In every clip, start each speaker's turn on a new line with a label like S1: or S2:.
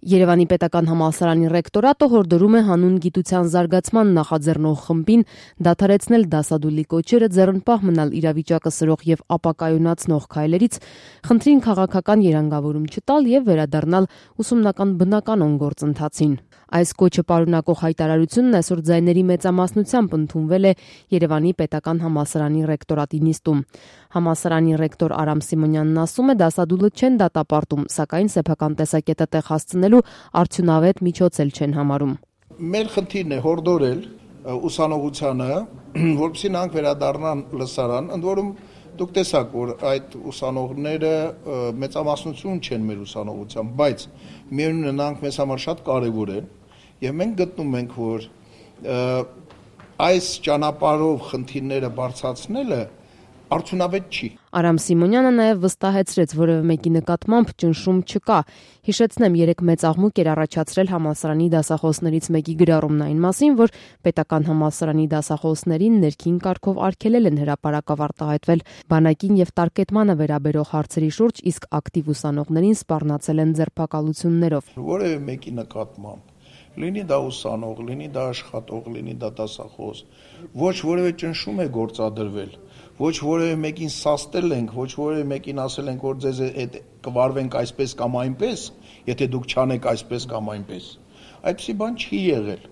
S1: Երևանի պետական համալսարանի ռեկտորատը հորդորում է հանուն գիտության զարգացման նախաձեռնող խմբին դադարեցնել դասադուլի կոչերը, ձեռնպահ մնալ իրավիճակը սրող եւ ապակայունացնող քայլերից, խնդրին քաղաքական երանգավորում չտալ եւ վերադառնալ ուսումնական բնականon գործընթացին։ Այս կոչը պարունակող հայտարարությունն այսօր ձայների մեծամասնությամբ ընդունվել է Երևանի պետական համալսարանի ռեկտորատի նիստում։ Համալսարանի ռեկտոր Արամ Սիմոնյանն ասում է, դասադուլը չեն դատապարտում, սակայն սեփական տեսակետը տեղ հասցնելու արդյունավետ միջոց էլ չեն համարում։
S2: Մեր խնդիրն է հորդորել ուսանողությանը, որպեսզի նրանք վերադառնան լսարան, ընդ որում դուք տեսաք, որ այդ ուսանողները մեծամասնություն չեն մեր ուսանողության, բայց միևնույն է նրանք մեզ համար շատ կարևոր են եւ մենք գտնում ենք, որ այս ճանապարհով խնդիրները բարձրացնելը արդյունավետ չի։
S1: Արամ Սիմոնյանը նաև վստահեցրեց, որևէ մեկի նկատմամբ ճնշում չկա։ Հիշեցնեմ, երեք մեծ աղմուկ էր առաջացրել համալսարանի դասախոսներից մեկի գրառումն այն մասին, որ պետական համալսարանի դասախոսներին ներքին կարգով արգելել են հրապարակավ արտահայտվել բանակին եւ տարկետմանը վերաբերող հարցերի շուրջ, իսկ ակտիվ ուսանողներին սպառնացել են ձերբակալություններով։
S2: Որևէ մեկի նկատմամբ լինի դա ուսանող, լինի դա աշխատող, լինի դա դասախոս, ոչ որևէ ճնշում է գործադրվել, ոչ որևէ մեկին սաստել ենք, ոչ որևէ մեկին ասել ենք, որ ձեզ կվարվենք այսպես կամ այնպես, եթե դուք չանեք այսպես կամ այնպես։ Այդպիսի բան չի եղել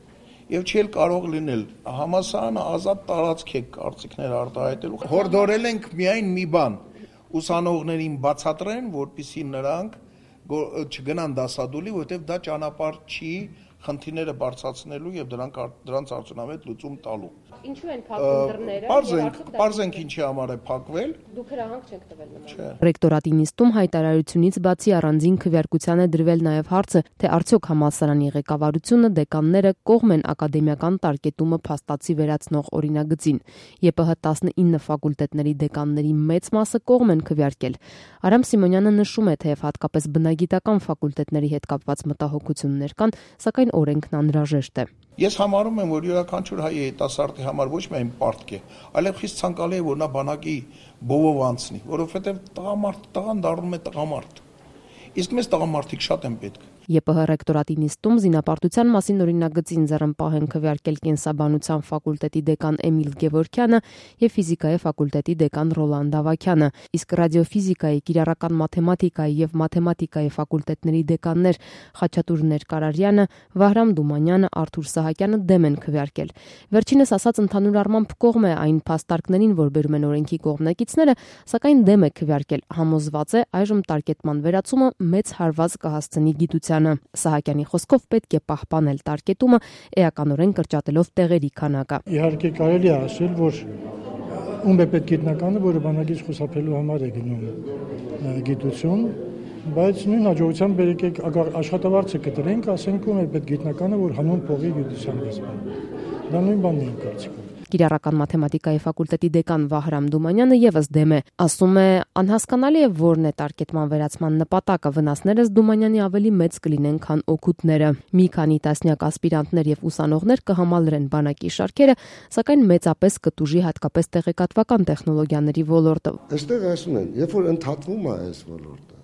S2: եւ չի էլ կարող լինել։ Համալսարանը ազատ տարածք է կարծիքներ արտահայտելու։ Հորդորել ենք միայն մի բան՝ ուսանողներին բացատրեն, որպեսզի նրանք չգնան դասադուլի, որովհետեւ դա ճանապարհ չի խնդիրները բարձրացնելու եւ դրանց արդյունավետ լուծում տալու։
S3: Ինչու են փակվում դռները?
S2: Պարզենք ինչի համար է փակվել։
S3: Դուք հրահանգ չեք տվել նման։
S1: Ռեկտորատի նիստում հայտարարությունից բացի առանձին քվեարկության է դրվել նաեւ հարցը, թե արդյոք համալսարանի ղեկավարությունը, դեկանները կողմ են ակադեմիական տարկետումը փաստացի վերացնող օրինագծին։ ԵՊՀ 19 ֆակուլտետների դեկանների մեծ մասը կողմ են քվեարկել։ Արամ Սիմոնյանը նշում է, թեև հատկապես բնագիտական ֆակուլտետների հետ կապված մտահոգություններ կան, սակայն օրենքն անհրաժեշտ է։
S2: Ես համարում եմ, որ յուրաքանչյուր հայ երիտասարդի համար ոչ միայն պարտք է, այլև խիստ ցանկալի է, որ նա բանակի բովով անցնի, որովհետև տղան դառնում է տղամարդ։ Իսկ մեզ տղամարդիկ շատ են պետք։
S1: ԵՊՀ ռեկտորատի նիստում զինապարտության մասին օրինագծին ձեռնպահ են քվեարկել կենսաբանության ֆակուլտետի դեկան Էմիլ Գևորգյանը եւ ֆիզիկայի ֆակուլտետի դեկան Ռոլանդ Ավագյանը, իսկ ռադիոֆիզիկայի, կիրառական մաթեմատիկայի եւ մաթեմատիկայի ֆակուլտետների դեկաններ Խաչատուր Ներկարարյանը, Վահրամ Դումանյանը, Արթուր Սահակյանը դեմ են քվեարկել։ Վերջինս ասած ընդհանուր առմամբ կողմ է այն փաստարկներին, որ բերում են օրենքի կողմնակիցները, սակայն դեմ է քվեարկել, համոզված է այժմ տարկետման վերացումը մեծ հարված կհասցնի գիտության։ Սահակյանի խոսքով պետք է պահպանել տարկետումը, էականորեն կրճատելով տեղերի քանակը։
S4: Իհարկե կարելի է ասել, որ ում է պետք գիտնականը, որը բանակից խուսափելու համար է գնում գիտություն, բայց նույն հաջողությամբ եկեք աշխատավարձը կտրենք, ասենք ում է պետք գիտնականը, որ հանուն փողի գիտության դեսպան։ Դա նույն բանն է կարծիքով։
S1: Կիրառական մաթեմատիկայի ֆակուլտետի դեկան Վահրամ Դումանյանը եւս դեմ է, ասում է, անհասկանալի է որն է տարկետման վերացման նպատակը, վնասներս Դումանյանի ավելի մեծ կլինեն, քան օգուտները։ Մի քանի տասնյակ ասպիրանտներ եւ ուսանողներ կհամալրեն բանակի շարքերը, սակայն մեծապես կտուժի հատկապես տեղեկատվական տեխնոլոգիաների ոլորտը։
S5: Այստեղ ասում են, երբ որ ընդհատվում է այս ոլորտը,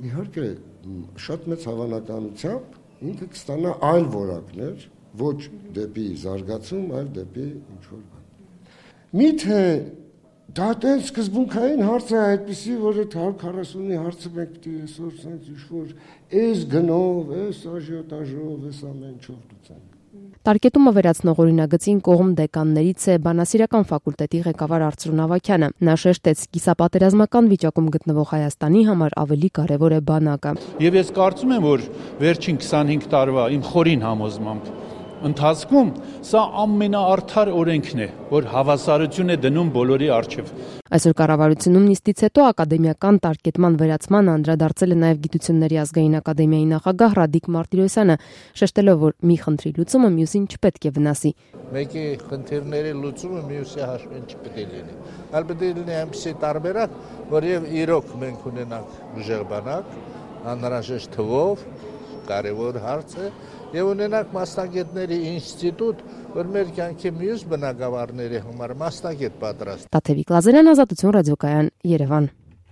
S5: իհարկե շատ մեծ հավանականությամբ ինքը կստանա այլ որակներ, ոչ դեպի զարգացում, այլ դեպի ինչ-որ բան։ Միթե դա տենց սկզբունքային հարց է այդպիսի, որ այդ 140-ի հարցը մենք պիտի այսօր սենց ինչ-որ էս գնով, էս աժիոտաժով, էս ամեն ինչով լուծենք։
S1: Տարկետումը վերացնող օրինագծին կողմ դեկաններից է բանասիրական ֆակուլտետի ղեկավար Արծրուն Ավագյանը։ Նա շեշտեց, կիսապատերազմական վիճակում գտնվող Հայաստանի համար ավելի կարևոր է բանակը։
S6: Եվ ես կարծում եմ, որ վերջին 25 տարվա իմ խորին համոզմամբ ընթացքում սա ամենաարդար օրենքն է, որ հավասարություն է դնում բոլորի առջև։
S1: Այսօր կառավարությունում նիստից հետո ակադեմիական տարկետման վերացման անդրադարձել է նաև Գիտությունների ազգային ակադեմիայի նախագահ Ռադիկ Մարտիրոսյանը, շեշտելով, որ մի խնդրի լուծումը մյուսին չպետք է վնասի։
S7: Մեկի խնդիրների լուծումը մյուսի հաշվին չպետք է լինի։ Այլ պետք է լինի այնպիսի տարբերակ, որ եւ իրոք մենք ունենանք ուժեղ բանակ, անհրաժեշտ թվով, կարևոր հարց է, եւ ունենանք մասնագետների ինստիտուտ, որ մեր կյանքի մյուս բնակավարների համար մասնագետ պատրաստ։
S1: Տաթևիկ Լազարյան, Ազատություն ռադիոկայան, Երևան։